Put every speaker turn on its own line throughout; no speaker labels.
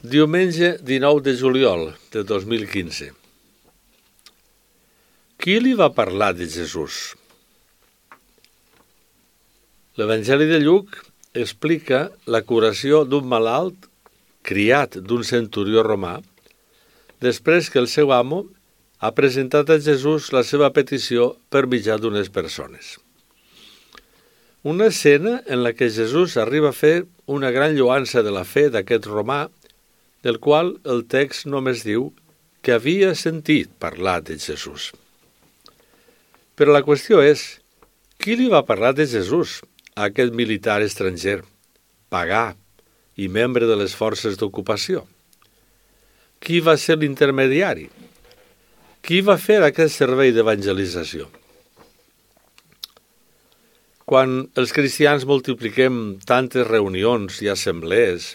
Diumenge 19 de juliol de 2015. Qui li va parlar de Jesús? L'Evangeli de Lluc explica la curació d'un malalt criat d'un centurió romà després que el seu amo ha presentat a Jesús la seva petició per mitjà d'unes persones. Una escena en la que Jesús arriba a fer una gran lloança de la fe d'aquest romà, del qual el text només diu que havia sentit parlar de Jesús. Però la qüestió és, qui li va parlar de Jesús a aquest militar estranger, pagà i membre de les forces d'ocupació? Qui va ser l'intermediari? Qui va fer aquest servei d'evangelització? Quan els cristians multipliquem tantes reunions i assemblees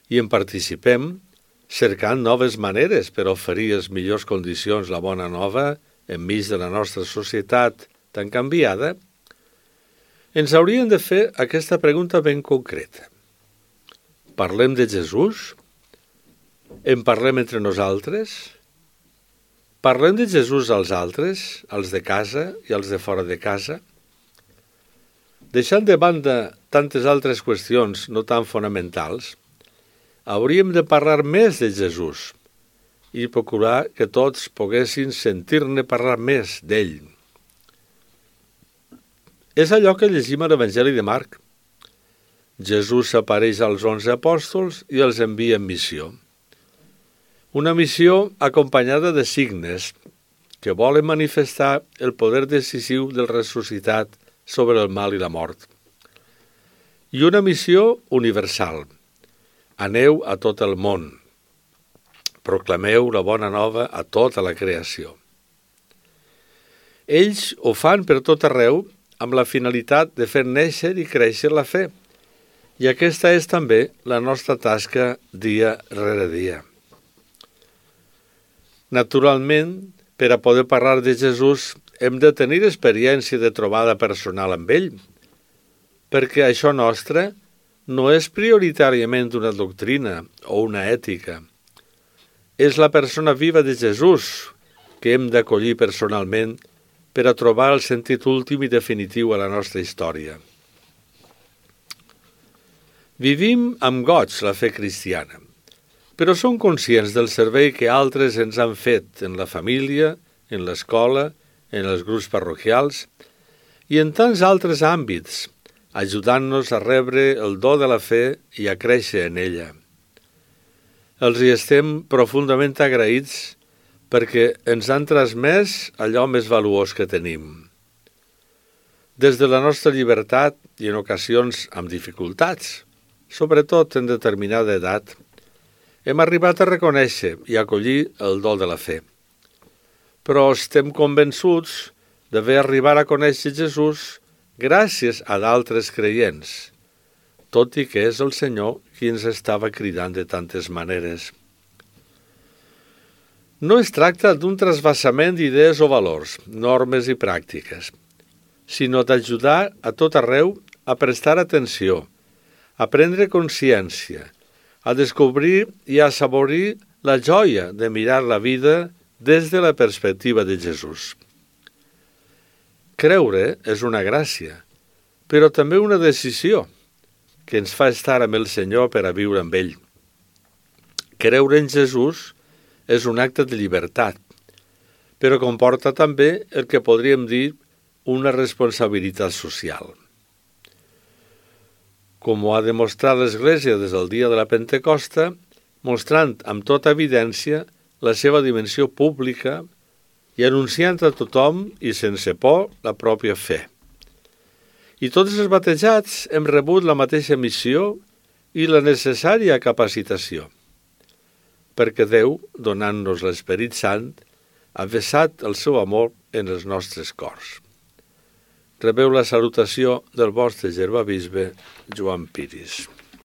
i en participem, cercant noves maneres per oferir les millors condicions la bona nova enmig de la nostra societat tan canviada, ens hauríem de fer aquesta pregunta ben concreta. Parlem de Jesús? En parlem entre nosaltres? Parlem de Jesús als altres, als de casa i als de fora de casa? Deixant de banda tantes altres qüestions no tan fonamentals, hauríem de parlar més de Jesús i procurar que tots poguessin sentir-ne parlar més d'ell. És allò que llegim a l'Evangeli de Marc. Jesús apareix als 11 apòstols i els envia en missió. Una missió acompanyada de signes que volen manifestar el poder decisiu del ressuscitat sobre el mal i la mort. I una missió universal. Aneu a tot el món. Proclameu la bona nova a tota la creació. Ells ho fan per tot arreu amb la finalitat de fer néixer i créixer la fe. I aquesta és també la nostra tasca dia rere dia. Naturalment, per a poder parlar de Jesús, hem de tenir experiència de trobada personal amb ell, perquè això nostre no és prioritàriament una doctrina o una ètica. És la persona viva de Jesús que hem d'acollir personalment per a trobar el sentit últim i definitiu a la nostra història. Vivim amb goig la fe cristiana, però som conscients del servei que altres ens han fet en la família, en l'escola, en els grups parroquials i en tants altres àmbits, ajudant-nos a rebre el do de la fe i a créixer en ella. Els hi estem profundament agraïts perquè ens han transmès allò més valuós que tenim. Des de la nostra llibertat i en ocasions amb dificultats, sobretot en determinada edat, hem arribat a reconèixer i acollir el do de la fe. Però estem convençuts d'haver arribat a conèixer Jesús gràcies a d'altres creients, tot i que és el Senyor qui ens estava cridant de tantes maneres. No es tracta d'un trasbassament d'idees o valors, normes i pràctiques, sinó d'ajudar a tot arreu a prestar atenció, a prendre consciència, a descobrir i a assaborir la joia de mirar la vida des de la perspectiva de Jesús. Creure és una gràcia, però també una decisió que ens fa estar amb el Senyor per a viure amb ell. Creure en Jesús és un acte de llibertat, però comporta també el que podríem dir una responsabilitat social. Com ho ha demostrat l'Església des del dia de la Pentecosta, mostrant amb tota evidència la seva dimensió pública i anunciant a tothom i sense por la pròpia fe. I tots els batejats hem rebut la mateixa missió i la necessària capacitació, perquè Déu, donant-nos l'Esperit Sant, ha vessat el seu amor en els nostres cors. Rebeu la salutació del vostre germà bisbe Joan Piris.